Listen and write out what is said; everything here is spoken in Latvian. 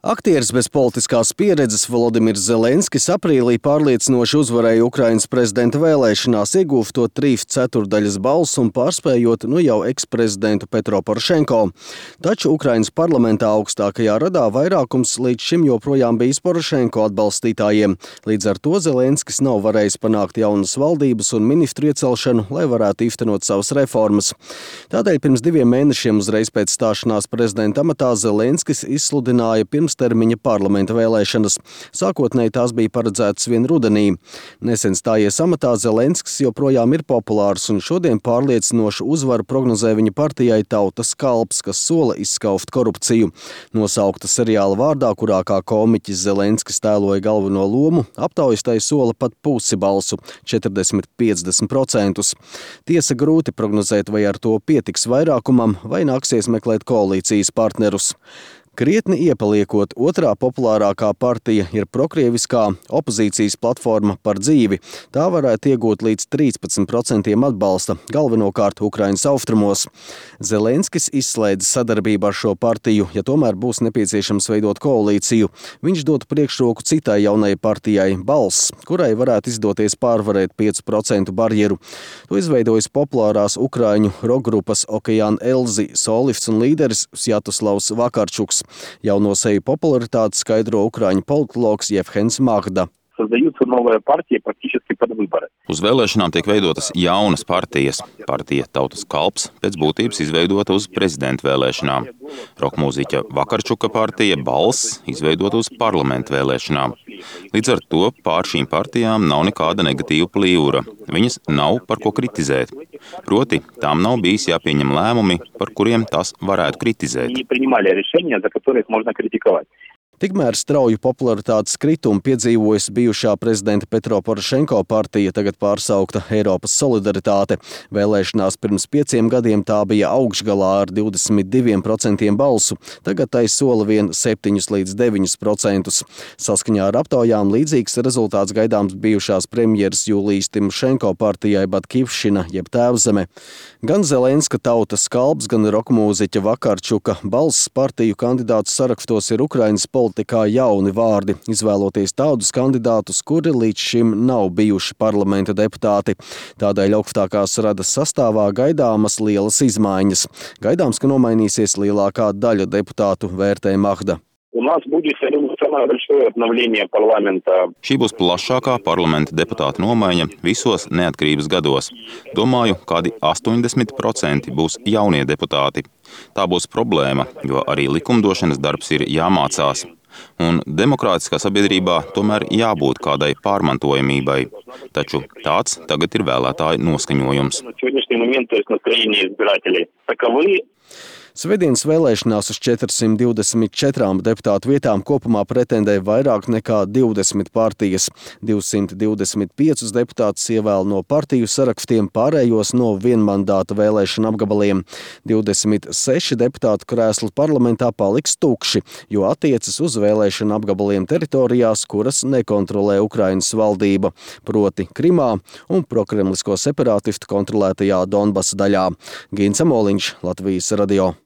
Aktieris bez politiskās pieredzes Volodimirs Zelenskis aprīlī pārliecinoši uzvarēja Ukrainas prezidenta vēlēšanās, iegūstot 3/4 balsu un pārspējot jau eksprezidentu Petro Porošenko. Taču Ukrainas parlamentā augstākajā radā vairākums līdz šim joprojām bijis Porošenko atbalstītājiem. Līdz ar to Zelenskis nav varējis panākt jaunas valdības un ministru iecelšanu, lai varētu īstenot savas reformas. Tādēļ pirms 2 mēnešiem uzreiz pēc stāšanās prezidenta amatā Zelenskis izsludināja pirmstermiņa parlamenta vēlēšanas. Sākotnēji tās bija paredzētas vien rudenī. Nesen stājies amatā Zelenskis joprojām ir populārs un šodien pārliecinošu uzvaru prognozē viņa partijai Tautas kalps, kas sola izskauft korupciju. Nosaukta seriāla vārdā, kurā kā komiķis Zelenskis tēloja galveno lomu, aptaujas tai sola pat pusi balsu – 40–50%. Tiesa grūti prognozēt, vai ar to pietiks vairākumam, vai nāksies meklēt koalīcijas partnerus. Krietni iepaliekot, otrā populārākā partija ir prokrieviskā opozīcijas platforma Par dzīvi. Tā varētu iegūt līdz 13% atbalsta, galvenokārt Ukrainas austrumos. Zelenskis izslēdz sadarbību ar šo partiju, ja tomēr būs nepieciešams veidot koalīciju. Viņš dotu priekšroku citai jaunai partijai Balss, kurai varētu izdoties pārvarēt 5% barjeru. To izveidojas populārās ukraiņu rokgrupas Okeāna Elzi solists un līderis Sjatoslavs Vakarčuks. Jauno seju popularitāti skaidro ukraiņu politologs Jevhens Magda. Uz vēlēšanām tiek veidotas jaunas partijas. Partija Tautas kalps pēc būtības izveidota uz prezidenta vēlēšanām. Rokmūziķa Vakarčuka partija Balss izveidota uz parlamenta vēlēšanām. Līdz ar to pār šīm partijām nav nekāda negatīva plīvura. Viņas nav par ko kritizēt. Proti, tām nav bijis jāpieņem lēmumi, par kuriem tās varētu kritizēt. Tikmēr strauju popularitātes kritumu piedzīvojas bijušā prezidenta Petro Porošenko partija, tagad pārsaukta Eiropas solidaritāte. Vēlēšanās pirms 5 gadiem tā bija augšgalā ar 22% balsu, tagad tai sola vien 7–9%. Saskaņā ar aptaujām līdzīgs rezultāts gaidāms bijušās premjeras Jūlijas Timošenko partijai Batkivšina jeb Tēvzeme. Gan Zelenska Tautas kalps, gan rokmūziķa Vakarčuka Balss partiju kandidātu sarakstos ir Ukrainas politikā jauni vārdi, izvēloties tādus kandidātus, kuri līdz šim nav bijuši parlamenta deputāti. Tādēļ augstākās radas sastāvā gaidāmas lielas izmaiņas. Gaidāms, ka nomainīsies lielākā daļa deputātu, vērtē Magda. Šī būs plašākā parlamenta deputāta nomaiņa visos neatkarības gados. Domāju, kādi 80% būs jaunie deputāti. Tā būs problēma, jo arī likumdošanas darbs ir jāmācās. Un demokrātiskā sabiedrībā tomēr jābūt kādai pārmantojamībai. Taču tāds tagad ir vēlētāju noskaņojums. Svētdienas vēlēšanās uz 424 deputātu vietām kopumā pretendē vairāk nekā 20 partijas. 225 deputātus ievēl no partiju sarakstiem, pārējos no vienmandāta vēlēšana apgabaliem. 26 deputātu krēsli parlamentā paliks tukši, jo attiecas uz vēlēšana apgabaliem teritorijās, kuras nekontrolē Ukrainas valdība, proti Krimā un prokremlisko separātistu kontrolētajā Donbasa daļā. Gins Amoliņš, Latvijas radio.